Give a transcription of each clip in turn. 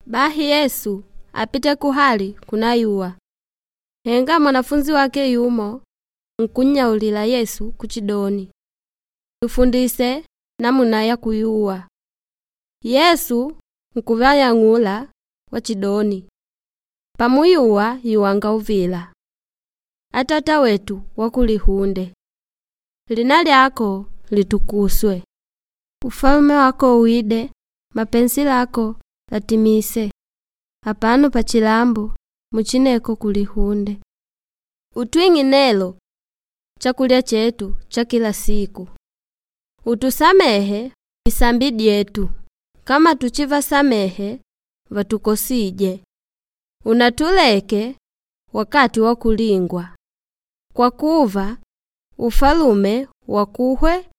Bahi Yesu apite kuhali kunayuwa. Henga mwanafunzi wake yumo nkunnyaulila Yesu kuchidoni, “Tufundise namuna ya kuyuwa.” Yesu nkuvayang'ula wachidoni, “Pamuyuwa yuwanga uvila: ‘Atata wetu wa kulihunde, lina lyako litukuswe. Ufalume wako wide, mapenzi lako latimise apano pachilambo muchineko kulihunde. Utwing'e nelo chakulya chetu cha kila siku. Utusamehe disambi dyetu kama tuchivasamehe vatukosîje. Unatuleke wakati wa kulingwa, kwa kuva ufalume wakuhwe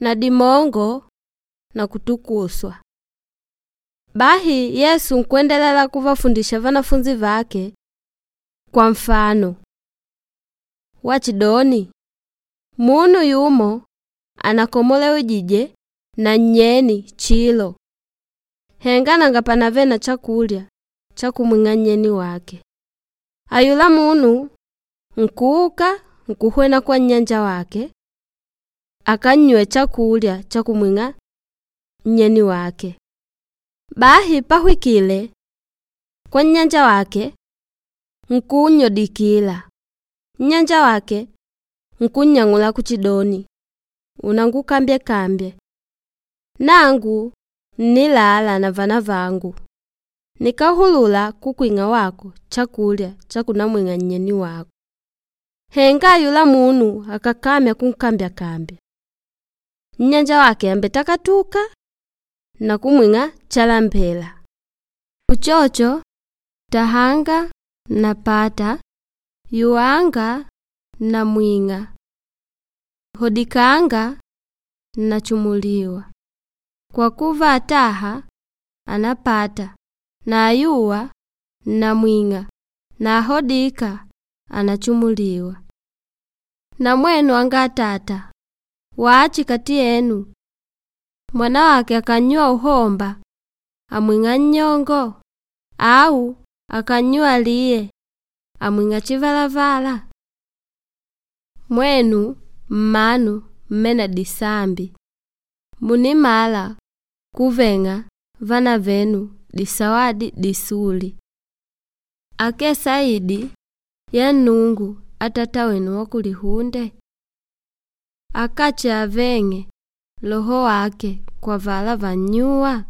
na dimongo na kutukuswa.’” Bahi Yesu nkwendelela kuvafundisha vanafunzi vake kwa nfano wachidoni, munu yumo anakomolewejije na nnyeni chilo, henga nanga panave na chakulya cha kumwing'a nnyeni wake. Ayula munu nkuuka nkuhwena kwa nnyanja wake akannyuwe chakulya cha kumwing'a nnyeni wake. Bahi pahwikile kwa nnyanja wake nkunnyodikila. Nnyanja wake nkunnyang'ula kuchidoni, “Unangukambyekambye, nangu nnilala na vanavangu, nikáhulula kukwing'a wako chakulya cha kunamwing'a nnyeni wako.” Henga ayula munu akàkamya kunkambyakambya, nnyanja wake àmbetakatuka na kumwing'a chalambela. Uchocho, tahanga napata, yuwanga namwing'a, hodikanga nachumuliwa. Kwa kuva ataha anapata na ayuwa namwing'a na ahodíka anachumuliwa. Na mwenu anga atata, wachi kati yenu mwanawake akannyuwa uhomba amwing'a nnyongo? Au akannyuwa liye amwing'a chivalavala? Mwenu mmanu mmene na disambi, munimala kuveng'a vanavenu disawadi disuli. Akee saidi ya Nnungu Atata wenu wa kulihunde? Akache aveng'e Loho wake kwa avala vannyuwa?